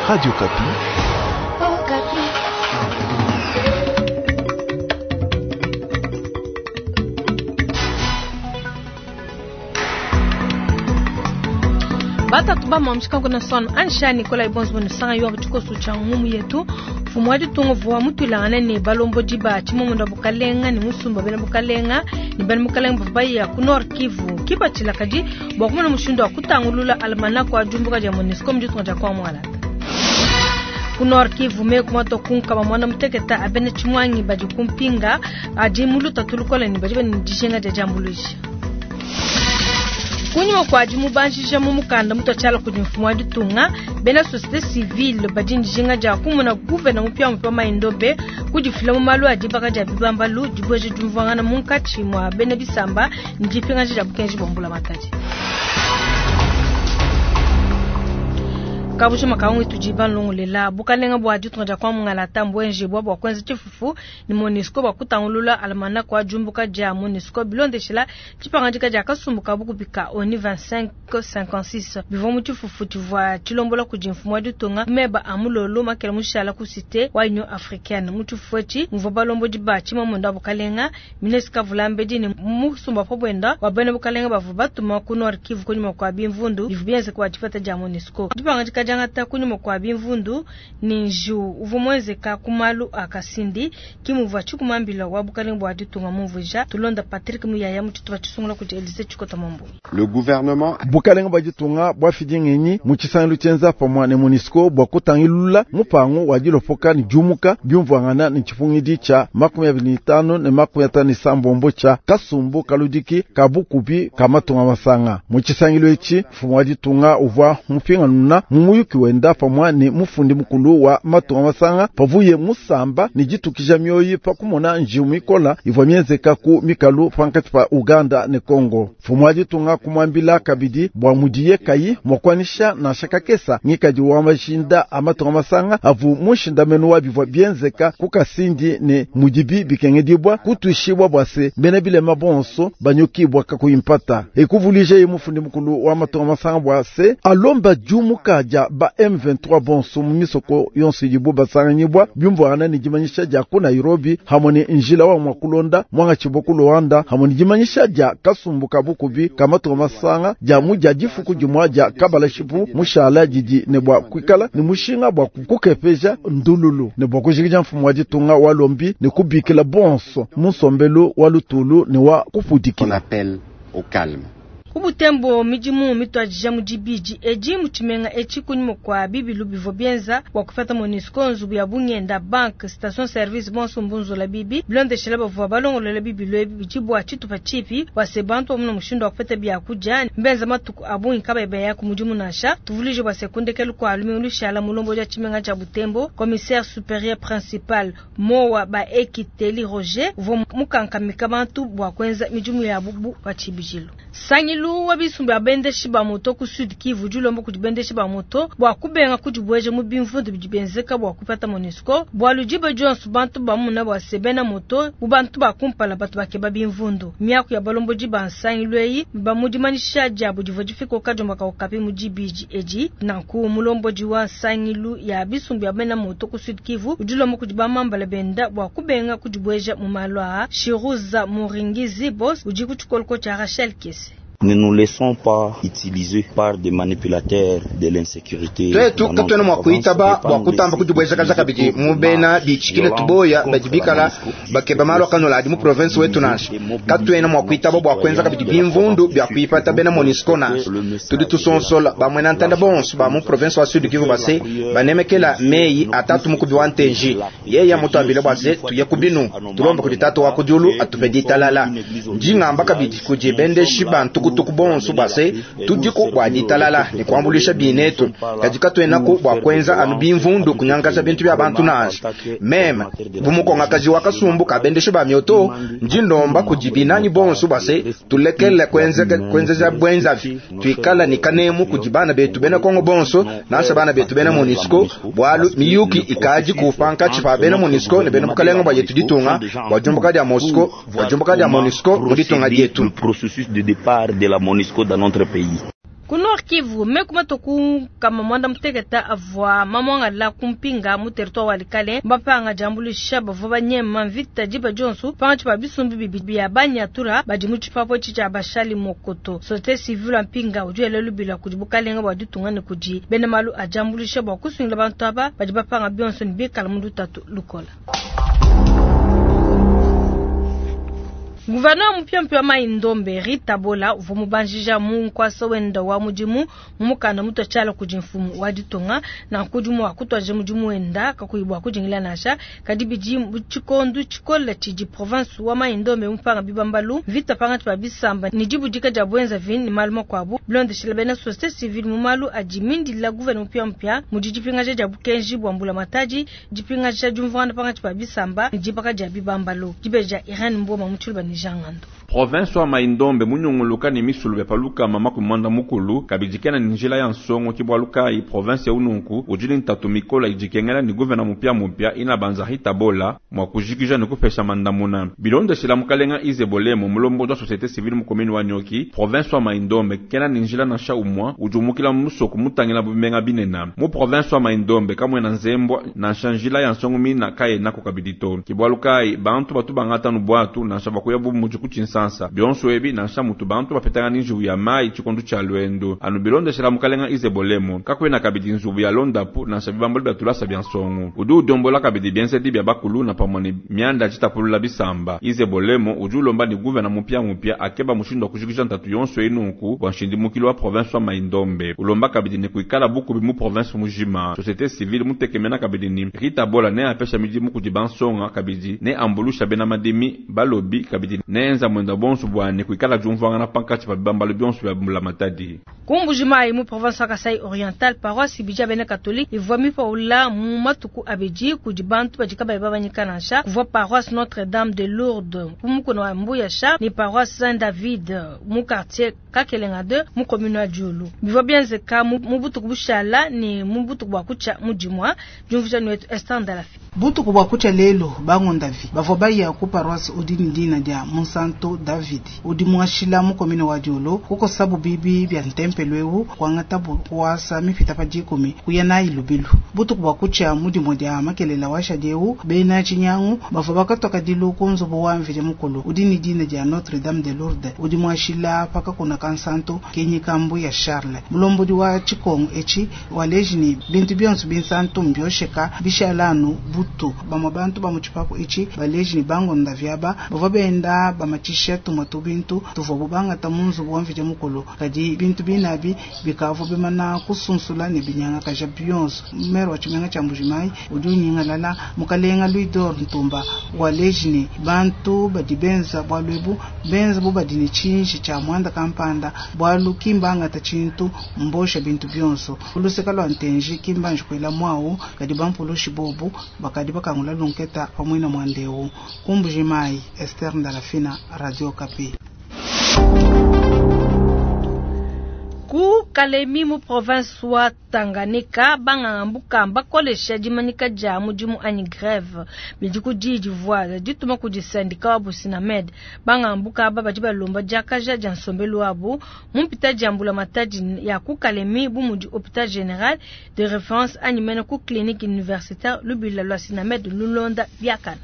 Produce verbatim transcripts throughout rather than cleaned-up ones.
Radio Okapi. Oh, Batatu bamamshika kuna sono ansha Nikolai Bonzo sanga yo tshikoso tsha ngumu yetu mfumu wa ditunga vua mutwilangana ne balombodi ba tshimomunda bukalenga ne musumba bena bukalenga ne bena bukalenga bavua baya ku Nord Kivu kipatshila kadi bua kumona mushindu wa kutangulula almanach wa diumbuka dia MONUSCO mu ditunga dia Kwamwalata. Ku Nord Kivu meku mato kunkama mwana muteketa abene tshimwangi badi kumpinga adi muluta tulukola ne badi bane dijinga dia diambuluisha. Kunyima kua dimubanjija mu mukanda mutuatshiala kudi mfumu wa ditunga bena société civile badi dijinga dia kumona gouverneur mupiamupia Mai-Ndombe kudifila mu malu a dibaka dia bibambalu dibueja diumvuangana munkatshi mua bena bisamba ne dipingaja dia bukenji bua mbulamatadi. Kabujo makangu tudi banlongolela bukalenga bua ditunga dia Kwamungala mbwenje bua bua kwenza tshifufu ni MONUSCO bua kutangulula almanach wa diumbuka dia MONUSCO bilondeshela tshipangadika dia kasumbu ka bukubika ONU vingt-cinq cinquante-six bivua mu tshifufu tshivua tshilombola kudi mfumu wa ditunga meba a mulolo makela mushala ku cité wa Union africaine. Mu tshifufu etshi muvua balombodi ba tshimamunda bukalenga ministre Kavulambedi ne musumba pa bwenda wa bena bukalenga bavua batuma ku Nord Kivu kunyima kua bimvundu bivua bienzeka bua dipeta dia MONUSCO. Dipangadika diangata kunyima kua bimvundu ni njiwu uvua muenzeka ku malu a Kasindi kimuvua tshikumambila wa bukalenga bua ditunga mumvuija tulonda Patrick Muyaya mu tshitupa tshisungula kudi Elise Tshikota Mambu. Le gouvernement bukalenga bua ditunga bua fidi ngenyi mu tshisangilu tshienza pamue ne MONUSCO bua kutangilula mupangu wa dilopoka ne diumuka biumvuangana ne tshipungidi tshia makumi abidi ne tanu ne makumi atanu ne sambombo tshia kasumbu kaludiki ka bukubi ka matunga masanga. Mu tshisangilu etshi mfumu wa ditunga uvua mupinganuna mu muyuki wenda pamue ne mufundi mukulu wa matunga masanga pavuye musamba ne ditukija mioyi pa kumona njiwu mikola ivua mienzeka ku mikalu pankatshi pa Uganda ne Congo. Mfumu wa ditunga kumwambila kabidi bua mudiye kayi mwakwanisha nansha kakesa ngikadi wa mashinda a matunga masanga avu mushindamenu wa bivua bienzeka ku Kasindi ne mudibi bikengedibwa kutuishibwa bua se bena bilema bonso banyukibwa kakuyimpata. Ekuvulije ye mufundi mukulu wa matunga masanga bua se alomba diumuka dia ba M vingt-trois bonso mu misoko yonso idibu basanganyibwa biumvuangana ne dimanyisha dia ku Nairobi hamwe ne njila wa mwakulonda mwangatshibwa ku Luanda hamwe ne dimanyisha dia kasumbu ka bukubi ka matunga masanga dia mu dia difuku dimua dia kabalashipu mushala didi ne bua kuikala ne mushinga bua kukepeja ndululu ne bua kujikija mfumu wa ditunga wa lombi ne kubikila bonso mu nsombelu wa lutulu ne wa kupudikila. On appelle au calme. Kubutembo midimu mitwajija mu dibidi edi mu tshimenga etshi kunyima kua bibilu bivua bienza bua kupeta MONUSCO nzubu ya bungenda banque station service bonso mbunzula bibi bilondeshela bavua balongolola bibilu ebi bidi bua tshitupa tshipi bua se bantu bamuna mushindu wa kupeta biakudia mbenza matuku a bungi kabayi baya ku mudimu nansha. Tuvulije bua se kundekelu kua lumingu lushala mulombo dia tshimenga tshia Butembo commissaire supérieur principal Mowa ba Ekiteli Roger uvua mukankamika bantu bua kuenza midimu yabu bu pa tshibidilu. Sangilu wa bisumbu bya bendeshi ba moto ku Sud Kivu dilomba kudi bendeshi ba moto bua kubenga kudibueja mu bimvundu bidi bienzeka bua kupata MONUSCO bualu diba dionso bantu bamuna bua se bena moto bu bantu ba kumpala batu bakeba bimvundu. Miaku ya balombodi ba nsangilu eyi ba mu dimanyisha diabu divua difika kadiomba ka Okapi mu dibidi edi. Nanku mulombodi wa nsangilu ya bisumbu bya bena moto ku Sud Kivu udilomba kudi bamambala benda bua kubenga kudibueja mu malu aa. Shiruza Muringizi boss udi ku tshikoloko tshia Rachel Kese. Ne nous laissons pas utiliser par des manipulateurs de l'insécurité. Twetu katuena mua kuitaba bua kutamba kudibwezakaza kabidi mu bena bitshikile tuboya badi bikala bakeba malu akanola adi mu province wetu nansha. Katuena mua kuitaba bua kuenza kabidi bimvundu bia kuipata bena MONUSCO nansha. Tudi tusonsola bamwena ntanda bonso ba mu province wa Sud Kivu base banemekela meyi atatu mukubi wa ntenji. Yeye mutuambile bua se tuye kubinu tulombe kudi tatu wa kudiulu atupe ditalala. Ndingamba kabidi kudi bendeshi bantu kutuku bonso base tudiko bua ditalala ne kuambulisha binetu kadi katuenaku bua kuenza anu bimvundu kunyangaza bintu bia bantu nansha. Meme bumukongakaji wa kasumbu kabendeshe ba mioto ndindomba kudi binanyi bonso base tulekele kuenza kuenza bwenzavi tuikala ni kanemu kudi bana betu bena Kongo bonso nansha bana betu bena MONUSCO bwalu miyuki ikaji kupanka chipa bena MONUSCO ne bena bukalenga bwa yetu ditunga bwa jumbuka dia Mosco bwa jumbuka dia MONUSCO mu ditunga dietu. Le processus de départ de la MONUSCO dans notre pays. Ku Nord Kivu, meku matuku kama mwanda muteketa avua mamwangala kumpinga mu territoire wa Likale mbapanga diambuluisha bavua banyema mvita diba dionso pangatshi pa bisumbu bibi bia banyatura badi mu tshipapu etshi tshia bashali mokoto. Société civile mpinga udi wela lubila kudi bukalenga bua ditunga ne kudi bena malu a diambuluisha bua kusungila bantu aba badi bapanga bionso ne bikala mu lutatu lukola. Gouverneur mpya wa Mai-Ndombe Rita Bola uvua mubanjija mu nkuasa wenda wa mudimu mu mukanda mutua tshiala kudi mfumu wa ditunga na nkudi mua kutuadija mudimu wenda kakuyi bua kudingila nansha kadi bidi mu tshikondo tshikole tshidi province wa Mai-Ndombe mupanga bibambalu mvita pangatshi pa bisamba ne dibudika dia bwenza vini ne malu makuabu bilondeshela bena société civile mu malu adi mindila gouverneur mpya mpya mudi dipingaja dia bukenji bua mbula matadi dipingaja diumvuangana pangatshi pa bisamba ne dibaka dia bibambalu dibeja Irene Mboma mu tshiluba ne Jangando. Province wa Mai-Ndombe munyunguluka ne misulu bya paluka mama kumwanda mukulu kabidikena ni njila ya nsongo kibwalukai province ya ununku ujili ntatu mikola ijikengela ni gouverneur mupya mupya ina banza Rita Bola mwa kujikija ni kupesha mandamuna bilondeshela mukalenga Izebolemo mulombo wa société civile mu commune wa Nyoki province wa Mai-Ndombe kena ni njila na sha umwa ujumukila musoko mutangila bumenga binena mu province wa Mai-Ndombe kamwe na nzembwa na shanjila ya nsongo mina kaye nako kabidito kibwalukai bantu batu bangata nubwatu na shabakuya bu muji kuchinsansa bionso ebi nansha mutu bantu bapetanga ni nzubu ya mai tshikondo tshia lwendo anu bilondeshela mukalenga Izebolemo kakwena kabidi nzubu ya londapu nansha bibambalo bya tulasa bya nsongo udi udombola kabidi bienzedi bya bakulu na pamwe ne mianda tshitapulula bisamba Izebolemo udi ulomba ni gouverneur mupya mupya akeba mushindu wa kujikija ntatu yonso enunku bua nshindimukilo wa province wa Mai-Ndombe ulomba kabidi ni kuikala bukubi mu province mujima société civile mutekemena kabidi ni Rita Bola ne apesha midimu kudi bansonga kabidi ne ambulusha bena madimi balobi kabidi ne enza mwenda bonso bwane kuikala diumvuangana pankatshi pa bibambalo bionso bya mbula matadi. Ku Mbuji-Mayi mu province wa Kasai Oriental paroisse ibidi bena catholique ivua mipaula mu matuku abidi kudi bantu badi kabayi babanyika nansha kuvua paroisse Notre-Dame de Lourdes ku mukuna wa Mbuyasha ni paroisse Saint-David mu quartier Kakelenga deux mu commune wa Diulu bivua bienzeka mu butuku bushala ni mu butuku bua kutshia mu dimua diumvuija wetu Esther Ndalafi. Butuku bua kutshia lelo bangondavi bavua baya ku paroisse udi ni dina dia Monsanto David udi muashila mu commune wa Diulu kukosabu bibi bya ntempelo eu kuangata kuasa mipita pa dikumi kuya nayi lubilu butuku bua kutshia mudimo dia makelela wa shadieu bena tshinyangu bavua bakatoka dilu ku nzubu wa mvidi mukulu udi ni dina dia Notre Dame de Lourdes udi muashila pakakuna kansanto kenyikambu ya Charles mulombodi wa tshikongo etshi waleji ni bintu bionso binsanto mbiosheka bishalanu butu bamwe bantu ba mu tshipapu etshi baleji ni bangonda vyaba bavua benda bamatshisha tumwe tubintu tuvua bubangata mu nzubu wa mvidi mukulu kadi bintu binabi bikavua bimana kusunsula ne binyangakaja bionso mere wa tshimenga tshia Mbuji-Mayi udi unyingalala mukalenga Louis d'Or Ntumba waleji ni bantu badi benza bwalu ebu benza bu badi ne tshinji tshia mwanda kampanda bwalu kimbangata tshintu mbosha bintu bionso uluseka lwa ntenji kimbanji kwela mwawu kadi bampulushi bobu bakadi bakangula lunketa pamwe na mwandeu ku Mbuji-Mayi Esther Ndalafina, Radio Okapi. Ku Kalemi mu province wa Tanganyika banganga mbuka bakolesha dimanyika dia mudimu anyi grève bidi kudi divua dituma kudi syndicat wa Businamed banganga mbuka aba badi balomba diakaja dia nsombelu wabu mu mpita dia mbula matadi ya ku Kalemi bu mudi hôpital général de référence anyi mene ku clinique universitaire lubila lwa Sinamed lulonda biakana.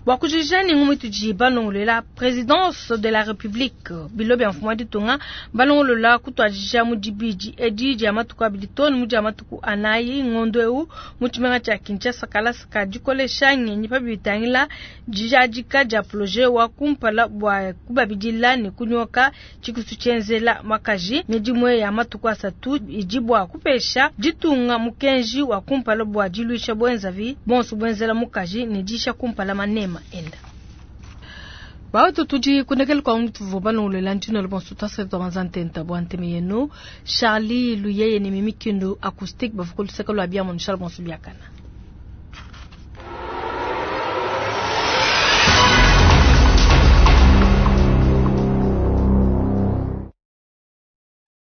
Bua kujija ni ngumu tudi balongolola présidence de la république bilo bya mfumu wa ditunga balongolola kutuadija mu dibidi edi dia matuku abidi to ne mu dia matuku anayi ngondo eu mu tshimenga tshia Kinshasa kalasa ka dikolesha ngenyi pa bitangila dijadika dia projet wa kumpala bua kubabidila ne kunyoka tshikisu tshienzela makaji midimue ya matuku asatu idi bua kupesha ditunga mukenji wa kumpala bua diluisha bwenzavi bonso bwenzela mukaji ne disha kumpala manema enda. Bautu tudi kunekele kwa mtu voba ntino le bonso tasa to manzantenta bo anteme yenu Charlie Luyeye ni Mimi Kindu acoustique bafukuluseka lwa bia mon Charles bonso biakana.